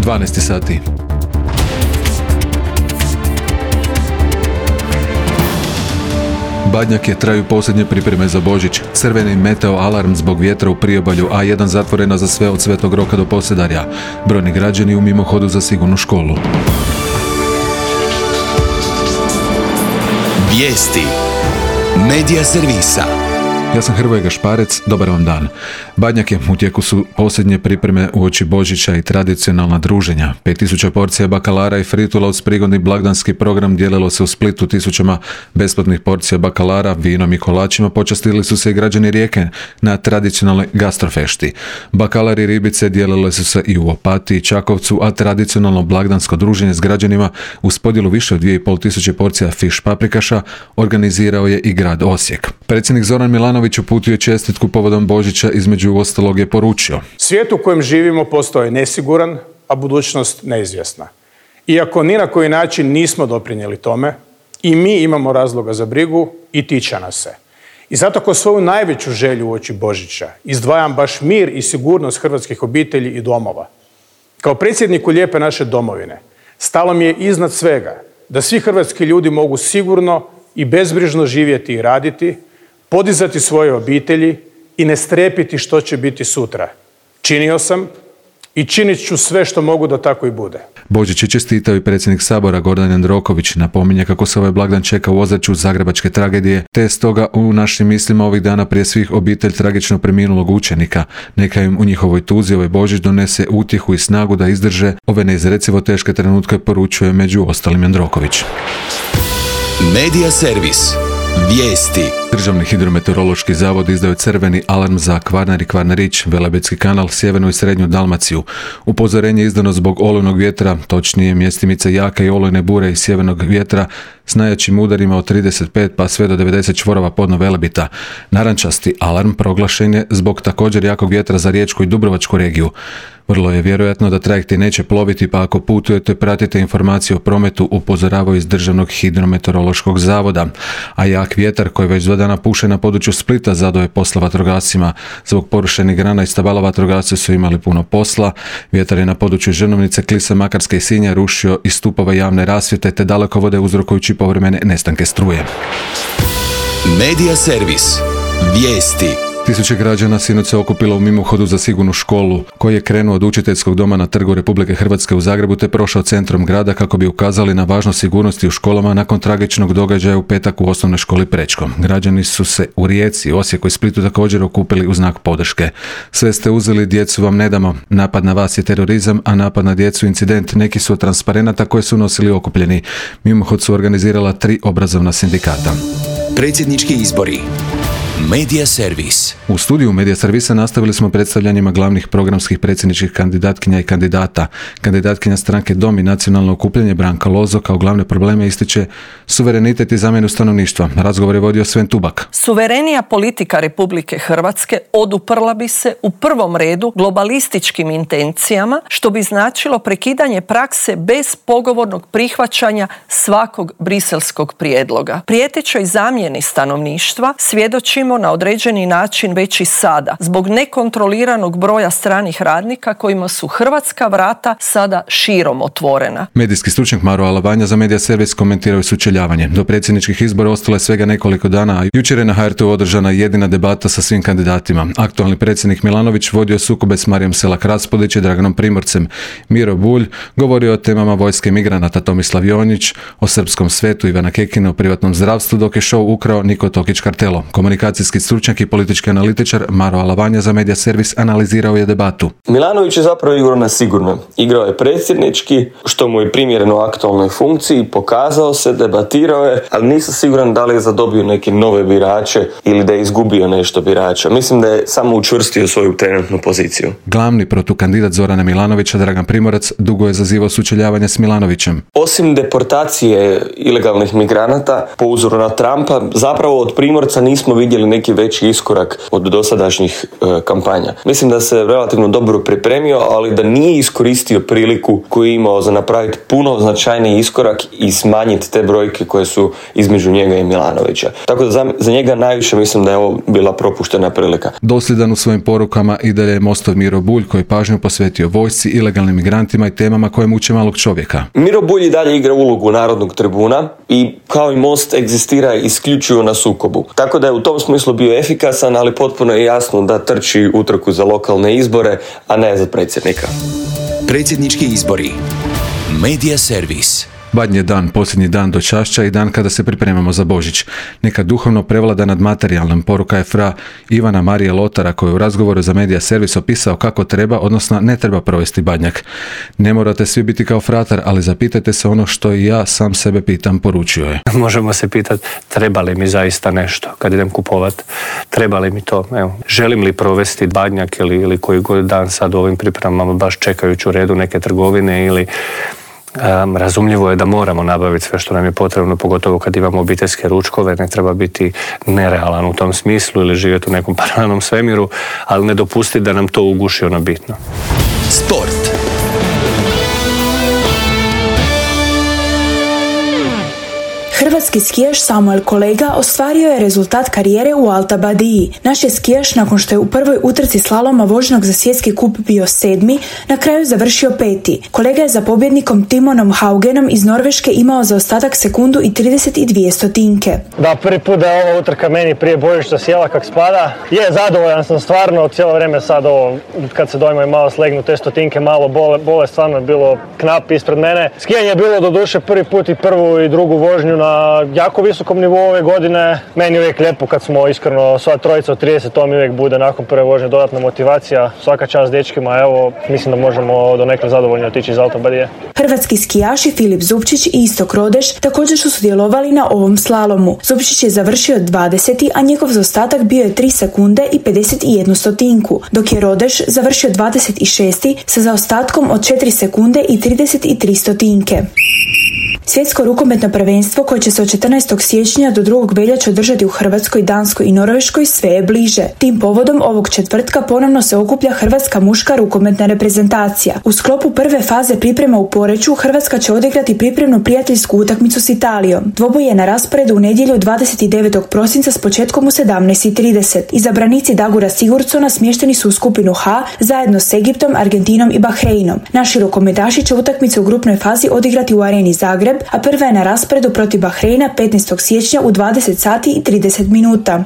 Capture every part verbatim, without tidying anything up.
dvanaest sati. Badnjak je traju posljednje pripreme za Božić. Crveni meteo alarm zbog vjetra u priobalju, A jedan zatvorena za sve od Svetog Roka do Posedarja. Brojni građani u mimohodu za sigurnu školu. Vijesti Medija servisa. Ja sam Hrvoje Gašparec, dobar vam dan. Badnjak je, u tijeku su posljednje pripreme uoči Božića i tradicionalna druženja. pet tisuća porcija bakalara i fritula uz prigodni blagdanski program dijelilo se u Splitu tisućama besplatnih porcija bakalara, vinom i kolačima. Počastili su se i građani Rijeke na tradicionalnoj gastrofešti. Bakalar i ribice dijelile su se i u Opatiji i Čakovcu, a tradicionalno blagdansko druženje s građanima uz podjelu više od dvije i pol tisuće porcija fiš paprikaša organizirao je i grad Osijek. Predsjednik Zoran Milanović uputio je čestitku povodom Božića, između ostalog je poručio: Svijet u kojem živimo postaje nesiguran, a budućnost neizvjesna. Iako ni na koji način nismo doprinijeli tome, i mi imamo razloga za brigu i tiče nas se. I zato ko svoju najveću želju uoči Božića izdvajam baš mir i sigurnost hrvatskih obitelji i domova. Kao predsjedniku lijepe naše domovine stalo mi je iznad svega da svi hrvatski ljudi mogu sigurno i bezbrižno živjeti i raditi, podizati svoje obitelji i ne strepiti što će biti sutra. Činio sam i činit ću sve što mogu da tako i bude. Božić je čestitao i predsjednik Sabora Gordan Jandroković. Napominje kako se ovaj blagdan čeka u ozračju zagrebačke tragedije, te je stoga u našim mislima ovih dana prije svih obitelj tragično preminulog učenika. Neka im u njihovoj tuzi ovaj Božić donese utjehu i snagu da izdrže ove neizrecivo teške trenutke, poručuje među ostalim Jandroković. Medija servis. Vijesti. Državni hidrometeorološki zavod izdao je crveni alarm za Kvarner i Kvarnerić, Velebitski kanal, sjevernu i srednju Dalmaciju. Upozorenje je izdano zbog olujnog vjetra, točnije mjestimice jake i olujne bure i sjevernog vjetra s najjačim udarima od trideset pet pa sve do devedeset čvorova podno Velebita. Narančasti alarm proglašen je zbog također jakog vjetra za Riječku i Dubrovačku regiju. Vrlo je vjerojatno da trajekti neće ploviti, pa ako putujete pratite informacije o prometu, upozoravaju iz Državnog hidrometeorološkog zavoda. A jak vjetar koji već dva dana puše na području Splita zadao je posla vatrogascima. Zbog porušenih grana i stabala vatrogasci su imali puno posla. Vjetar je na području Žrnovnice, Klisa, Makarske i Sinja rušio i stupove javne rasvjete te dalekovode uzrokujući povremene nestanke struje. Medija servis. Vijesti. Tisuće građana sinoć se okupilo u mimohodu za sigurnu školu, koji je krenuo od učiteljskog doma na Trgu Republike Hrvatske u Zagrebu te prošao centrom grada kako bi ukazali na važnost sigurnosti u školama nakon tragičnog događaja u petak u osnovnoj školi Prečko. Građani su se u Rijeci, Osijeku i Splitu također okupili u znak podrške. Sve ste uzeli, djecu vam ne damo. Napad na vas je terorizam, a napad na djecu incident. Neki su od transparenata koje su nosili okupljeni. Mimohod su organizirala tri obrazovna sindikata. Predsjednički izbori. Medija servis. U studiju Medija servisa nastavili smo predstavljanjima glavnih programskih predsjedničkih kandidatkinja i kandidata. Kandidatkinja stranke Dom i nacionalno okupljanje Branka Lozo kao glavne probleme ističe suverenitet i zamjenu stanovništva. Razgovor je vodio Sven Tubak. Suverenija politika Republike Hrvatske oduprla bi se u prvom redu globalističkim intencijama, što bi značilo prekidanje prakse bez pogovornog prihvaćanja svakog briselskog prijedloga. Prijetećoj zamjeni stanovništva svjedočimo na određeni način već i sada, zbog nekontroliranog broja stranih radnika kojima su hrvatska vrata sada širom otvorena. Medijski stručnjak Maro Alavanja za Medija servis komentirao je sučeljavanje. Do predsjedničkih izbora ostalo je svega nekoliko dana, a jučer je na ha er te u održana jedina debata sa svim kandidatima. Aktualni predsjednik Milanović vodio sukobe s Marijom Selak-Raspudić i Draganom Primorcem. Miro Bulj govorio o temama vojske migranata, Tomislav Jonjić o srpskom svetu, Ivana Kekina o privatnom zdravstvu, dok je show ukrao Niko Tokić Kartelo. Komunikacijski stručnjak i politički analitičar Maro Alavanja za Medija servis analizirao je debatu. Milanović je zapravo igrao na sigurno. Igrao je predsjednički, što mu je primjereno aktualnoj funkciji, pokazao se, debatirao je, ali nisam siguran da li je zadobio neke nove birače ili da je izgubio nešto birača. Mislim da je samo učvrstio svoju trenutnu poziciju. Glavni protukandidat Zorana Milanovića, Dragan Primorac, dugo je zazivao sučeljavanje s Milanovićem. Osim deportacije ilegalnih migranata po uzoru na Trumpa, zapravo od Primorca nismo vidjeli napravili neki veći iskorak od dosadašnjih e, kampanja. Mislim da se relativno dobro pripremio, ali da nije iskoristio priliku koju je imao za napraviti puno značajniji iskorak i smanjiti te brojke koje su između njega i Milanovića. Tako da za, za njega najviše mislim da je ovo bila propuštena prilika. Dosljedan u svojim porukama i dalje je Mostov Miro Bulj, koji je pažnju posvetio vojsci, ilegalnim migrantima i temama koje muče malog čovjeka. Miro Bulj i dalje igra ulogu narodnog tribuna i kao i Most egzistira isključivo na sukobu. Tako da je u tom smislu bio efikasan, ali potpuno je jasno da trči utrku za lokalne izbore, a ne za predsjednika. Predsjednički izbori. Medija servis. Badnji je dan, posljednji dan do Čašća i dan kada se pripremamo za Božić. Neka duhovno prevlada nad materijalnom, poruka je fra Ivana Marije Lotara, koji je u razgovoru za Medija servis opisao kako treba, odnosno ne treba provesti badnjak. Ne morate svi biti kao fratar, ali zapitajte se ono što i ja sam sebe pitam, poručio je. Možemo se pitati treba li mi zaista nešto kad idem kupovat, treba li mi to, evo, želim li provesti badnjak ili, ili koji god dan sad u ovim pripremama baš čekajući u redu neke trgovine ili Um, razumljivo je da moramo nabaviti sve što nam je potrebno, pogotovo kad imamo obiteljske ručkove, ne treba biti nerealan u tom smislu ili živjeti u nekom paralelnom svemiru, ali ne dopustiti da nam to uguši ono bitno. Sport. Hrvatski skijaš Samuel Kolega ostvario je rezultat karijere u Alta Badiji. Naš je skijaš, nakon što je u prvoj utrci slaloma vožnog za svjetski kup bio sedmi, na kraju završio peti. Kolega je za pobjednikom Timonom Haugenom iz Norveške imao zaostatak sekundu i trideset dvije stotinke. Da, prvi put da je ova utrka meni prije Božića sjela kak spada. Je, zadovoljan sam stvarno, cijelo vrijeme sad ovo, kad se dojmovi malo slegnu, te stotinke malo bole, bole stvarno je bilo knap ispred mene. Skijanje je bilo do duše prvi put i prvu i drugu vožnju na jako visokom nivou ove godine. Meni je uvijek lijepo kad smo iskreno sva trojica od trideset, to mi uvijek bude nakon prve vožnje dodatna motivacija. Svaka čast dečkima, evo, mislim da možemo do nekle zadovoljno otići iz Alta Badije. Hrvatski skijaši Filip Zupčić i Istok Rodeš također su sudjelovali na ovom slalomu. Zupčić je završio dvadeseti, a njegov zaostatak bio je tri sekunde i pedeset jednu stotinku, dok je Rodeš završio dvadeset šesti sa zaostatkom od četiri sekunde i trideset tri stotinke. Svjetsko rukometno prvenstvo koje će se od četrnaestog siječnja do drugog veljače održati u Hrvatskoj, Danskoj i Norveškoj sve je bliže. Tim povodom ovog četvrtka ponovno se okuplja hrvatska muška rukometna reprezentacija. U sklopu prve faze priprema u Poreču Hrvatska će odigrati pripremnu prijateljsku utakmicu s Italijom. Dvoboj je na rasporedu u nedjelju dvadeset devetog prosinca s početkom u sedamnaest i trideset. Izabranici Dagura Sigurdsona smješteni su u skupinu H zajedno s Egiptom, Argentinom i Bahreinom. Naši rukometaši će utakmice u grupnoj fazi odigrati u areni Zagreb, a prva je na rasporedu protiv Bahreina petnaestog siječnja u dvadeset sati i trideset minuta.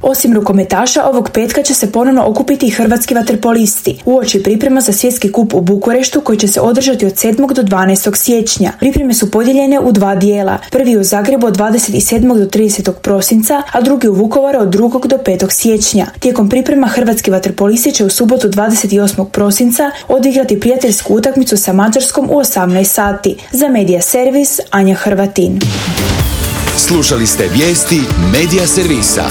Osim rukometaša, ovog petka će se ponovno okupiti i hrvatski vaterpolisti uoči priprema za svjetski kup u Bukureštu koji će se održati od sedmog do dvanaestog siječnja. Pripreme su podijeljene u dva dijela. Prvi u Zagrebu od dvadeset sedmog do tridesetog prosinca, a drugi u Vukovaru od drugog do petog siječnja. Tijekom priprema hrvatski vaterpolisti će u subotu dvadeset osmog prosinca odigrati prijateljsku utakmicu sa Mađarskom u osamnaest sati. Za Medija servis Anja Hrvatin. Slušali ste vijesti Medija servisa.